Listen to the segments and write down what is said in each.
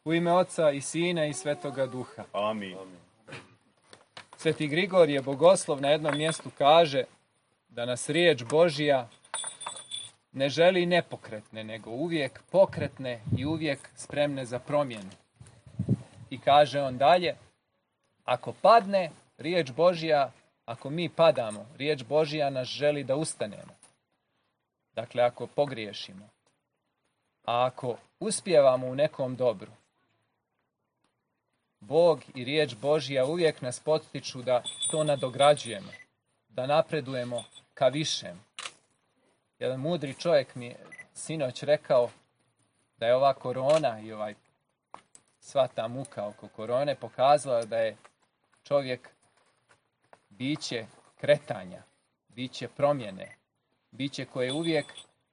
U ime Oca i Sina i Svetoga Duha. Amin. Sveti Grigorije Bogoslov na jednom mjestu kaže da nas riječ Božja ne želi nepokretne, nego uvijek pokretne i uvijek spremne za promjenu. I kaže on dalje, ako padne riječ Božja, ako mi padamo, riječ Božja nas želi da ustanemo. Dakle, ako pogriješimo. A ako uspijevamo u nekom dobru, Bog i riječ Božja uvijek nas potiču da to nadograđujemo, da napredujemo ka višem. Jedan mudri čovjek mi je sinoć rekao da je ova korona i sva ta muka oko korone pokazala da je čovjek biće kretanja, biće promjene, biće koje uvijek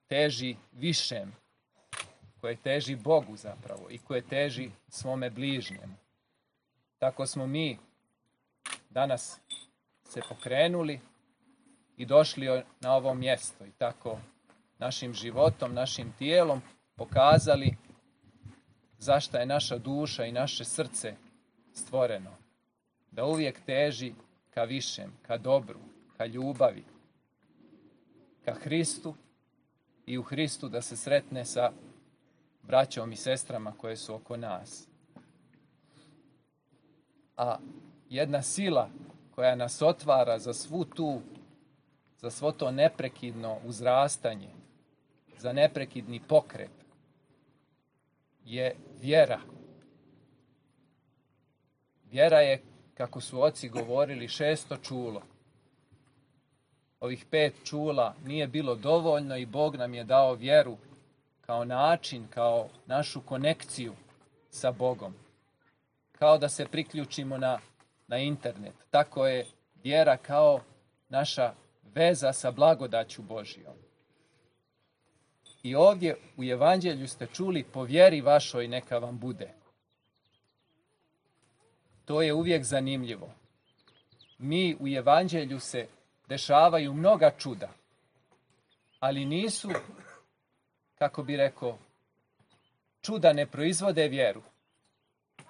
teži višem, koje teži Bogu zapravo i koje teži svome bližnjemu. Tako smo mi danas se pokrenuli i došli na ovo mjesto i tako našim životom, našim tijelom pokazali zašto je naša duša i naše srce stvoreno. Da uvijek teži ka višem, ka dobru, ka ljubavi, ka Hristu i u Hristu da se sretne sa braćom i sestrama koje su oko nas. A jedna sila koja nas otvara za svo to neprekidno uzrastanje, za neprekidni pokret, je vjera. Vjera je, kako su oci govorili, 6. čulo. Ovih 5 čula nije bilo dovoljno i Bog nam je dao vjeru kao način, kao našu konekciju sa Bogom. Kao da se priključimo na internet. Tako je vjera kao naša veza sa blagodaću Božjom. I ovdje u Evanđelju ste čuli, po vjeri vašoj neka vam bude. To je uvijek zanimljivo. Mi u Evanđelju se dešavaju mnoga čuda, ali nisu, kako bi rekao, čuda ne proizvode vjeru,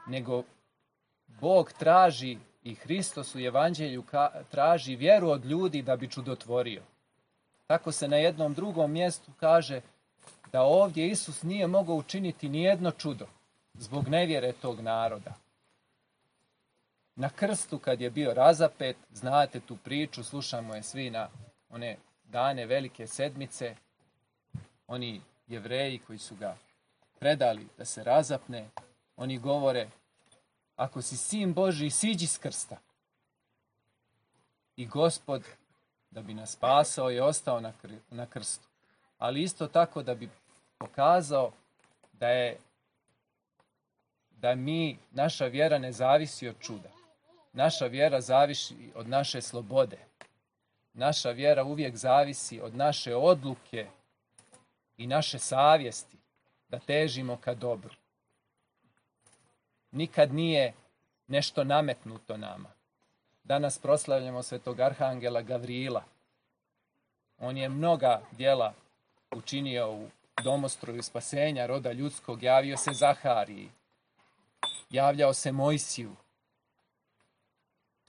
nego Bog traži i Hristos u Evanđelju traži vjeru od ljudi da bi čudotvorio. Tako se na jednom drugom mjestu kaže da ovdje Isus nije mogao učiniti ni jedno čudo zbog nevjere tog naroda. Na krstu kad je bio razapet, znate tu priču, slušamo je svi na one dane Velike sedmice, oni Jevreji koji su ga predali da se razapne, oni govore, ako si sin Božji, siđi s krsta. I Gospod, da bi nas spasao, je ostao na krstu. Ali isto tako da bi pokazao da naša vjera ne zavisi od čuda. Naša vjera zavisi od naše slobode. Naša vjera uvijek zavisi od naše odluke i naše savjesti da težimo ka dobru. Nikad nije nešto nametnuto nama. Danas proslavljamo svetog arhangela Gavrila. On je mnoga djela učinio u domostroju spasenja roda ljudskog. Javio se Zahariji, javljao se Mojsiju.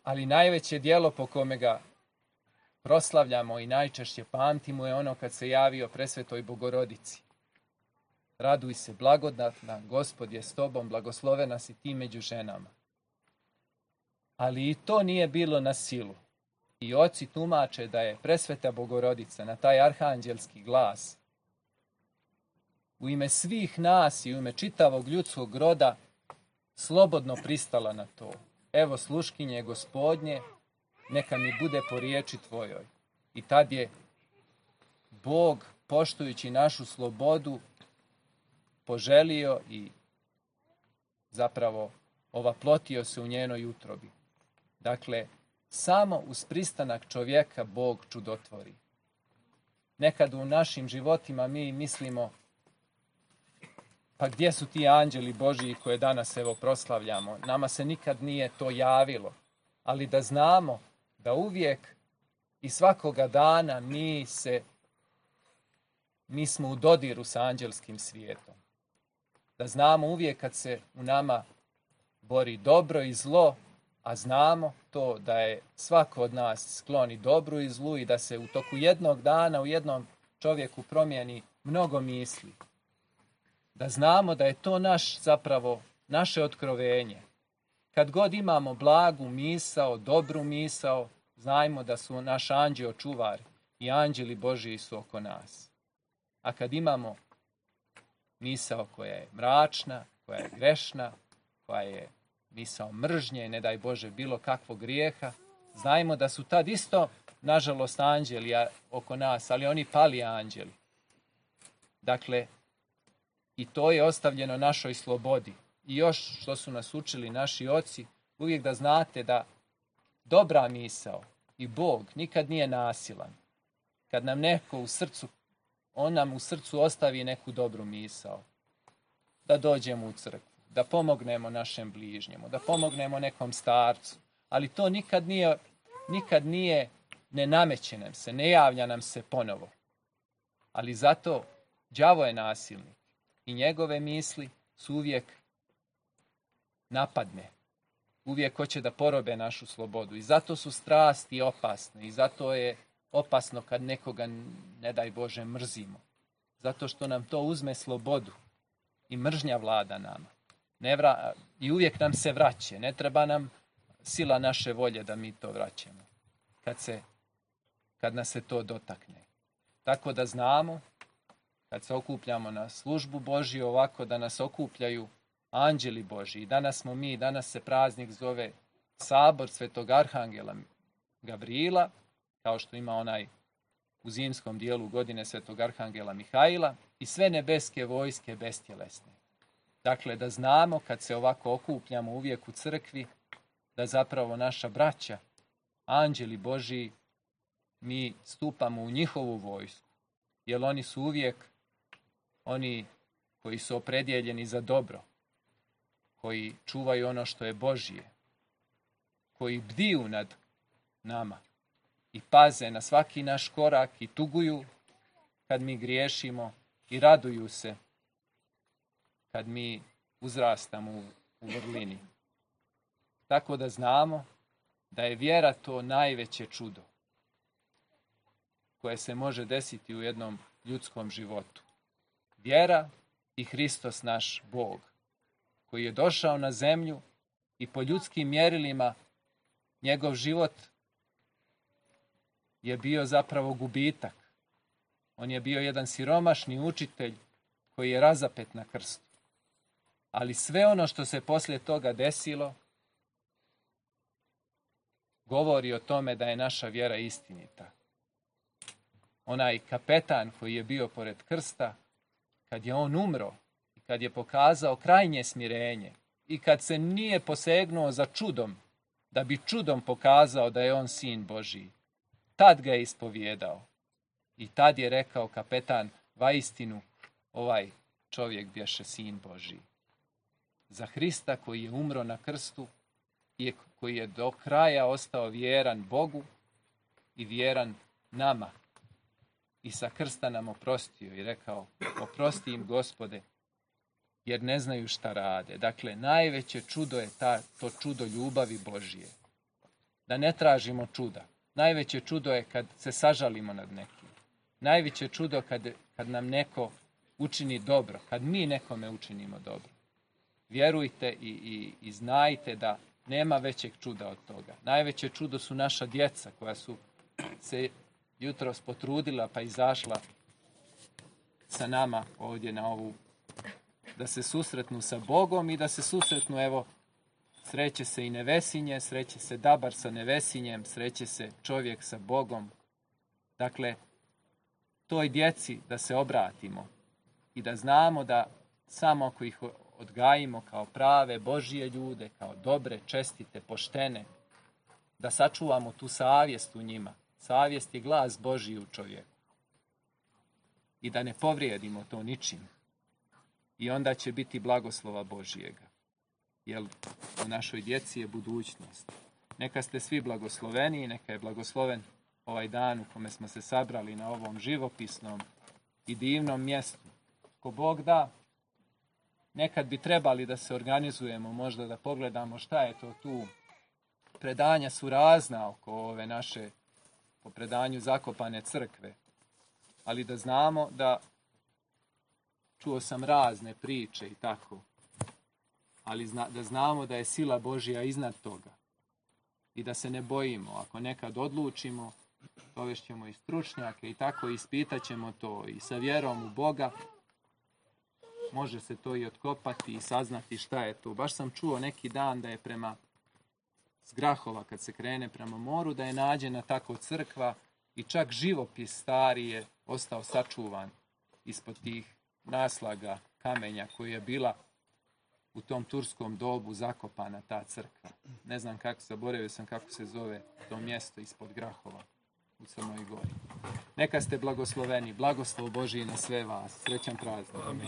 Ali najveće djelo po kome ga proslavljamo i najčešće pamtimo je ono kad se javio presvetoj Bogorodici. Raduj se, blagodatna, Gospod je s tobom, blagoslovena si ti među ženama. Ali i to nije bilo na silu. I oci tumače da je presveta Bogorodica na taj arhanđelski glas u ime svih nas i u ime čitavog ljudskog roda slobodno pristala na to. Evo sluškinje Gospodnje, neka mi bude po riječi tvojoj. I tad je Bog, poštujući našu slobodu, poželio i zapravo ovaplotio se u njenoj utrobi. Dakle, samo uz pristanak čovjeka Bog čudotvori. Nekad u našim životima mi mislimo, pa gdje su ti anđeli Božji koje danas evo proslavljamo? Nama se nikad nije to javilo. Ali da znamo da uvijek i svakoga dana mi smo u dodiru sa anđelskim svijetom. Da znamo uvijek kad se u nama bori dobro i zlo, a znamo to da je svako od nas sklon i dobru i zlu i da se u toku jednog dana u jednom čovjeku promijeni mnogo misli. Da znamo da je to naše otkrovenje. Kad god imamo blagu misao, dobru misao, znajmo da su naš anđeo čuvar i anđeli Božiji su oko nas. A kad imamo misao koja je mračna, koja je grešna, koja je misao mržnje, ne daj Bože bilo kakvog grijeha, znajmo da su tad isto, nažalost, anđeli oko nas, ali oni pali anđeli. Dakle, i to je ostavljeno našoj slobodi. I još što su nas učili naši oci, uvijek da znate da dobra misao i Bog nikad nije nasilan. Kad nam neko u srcu, on nam u srcu ostavi neku dobru misao. Da dođemo u crkvu, da pomognemo našem bližnjemu, da pomognemo nekom starcu. Ali to nikad nije, ne nameće nam se, ne javlja nam se ponovo. Ali zato đavo je nasilnik i njegove misli su uvijek napadne. Uvijek hoće da porobe našu slobodu. I zato su strasti opasne. I zato je opasno kad nekoga, ne daj Bože, mrzimo. Zato što nam to uzme slobodu. I mržnja vlada nama. I uvijek nam se vraća. Ne treba nam sila naše volje da mi to vraćamo. Kad nas se to dotakne. Tako da znamo, kad se okupljamo na službu Božju, ovako da nas okupljaju anđeli Božji. Danas se praznik zove Sabor Svetog Arhangela Gavrila, kao što ima onaj u zimskom dijelu godine Svetog Arhangela Mihaila i sve nebeske vojske bestjelesne. Dakle, da znamo kad se ovako okupljamo uvijek u crkvi, da zapravo naša braća, anđeli Božji, mi stupamo u njihovu vojsku, jer oni su uvijek oni koji su opredjeljeni za dobro, koji čuvaju ono što je Božje, koji bdiju nad nama i paze na svaki naš korak i tuguju kad mi griješimo i raduju se kad mi uzrastamo u vrlini. Tako da znamo da je vjera to najveće čudo koje se može desiti u jednom ljudskom životu. Vjera i Hristos naš Bog, koji je došao na zemlju i po ljudskim mjerilima njegov život je bio zapravo gubitak. On je bio jedan siromašni učitelj koji je razapet na krstu. Ali sve ono što se poslije toga desilo govori o tome da je naša vjera istinita. Onaj kapetan koji je bio pored krsta, kad je on umro i kad je pokazao krajnje smirenje i kad se nije posegnuo za čudom, da bi čudom pokazao da je on sin Božiji, tad ga je ispovijedao. I tad je rekao kapetan, vaistinu ovaj čovjek bješe sin Božiji. Za Hrista koji je umro na krstu i koji je do kraja ostao vjeran Bogu i vjeran nama. I sa krsta nam oprostio i rekao, oprosti im Gospode, jer ne znaju šta rade. Dakle, najveće čudo je to čudo ljubavi Božije. Da ne tražimo čuda. Najveće čudo je kad se sažalimo nad nekim. Najveće čudo kad nam neko učini dobro, kad mi nekome učinimo dobro. Vjerujte i znajte da nema većeg čuda od toga. Najveće čudo su naša djeca koja su se jutros potrudila pa izašla sa nama ovdje na ovu, da se susretnu sa Bogom i da se susretnu, evo, sreće se i Nevesinje, sreće se Dabar sa Nevesinjem, sreće se čovjek sa Bogom. Dakle, toj djeci da se obratimo i da znamo da samo ako ih odgajimo kao prave Božije ljude, kao dobre, čestite, poštene, da sačuvamo tu savjest u njima. Savjest je glas Božji u čovjeku. I da ne povrijedimo to ničim. I onda će biti blagoslova Božijega. Jer u našoj djeci je budućnost. Neka ste svi blagosloveni i neka je blagosloven ovaj dan u kome smo se sabrali na ovom živopisnom i divnom mjestu. Ko Bog da, nekad bi trebali da se organizujemo, možda da pogledamo šta je to tu. Predanja su razna oko ove naše, po predanju zakopane crkve. Ali da znamo da, čuo sam razne priče i tako, ali da znamo da je sila Božja iznad toga. I da se ne bojimo. Ako nekad odlučimo, dovešćemo i stručnjake i tako ispitat ćemo to i sa vjerom u Boga. Može se to i otkopati i saznati šta je to. Baš sam čuo neki dan da je prema s Grahova, kad se krene prema moru, da je nađena tako crkva i čak živopis stari je ostao sačuvan ispod tih naslaga kamenja koji je bila u tom turskom dobu zakopana ta crkva. Ne znam kako, zaboravio sam kako se zove to mjesto ispod Grahova u Crnoj Gori. Neka ste blagosloveni, blagoslov Božji na sve vas. Srećan praznik. Amin.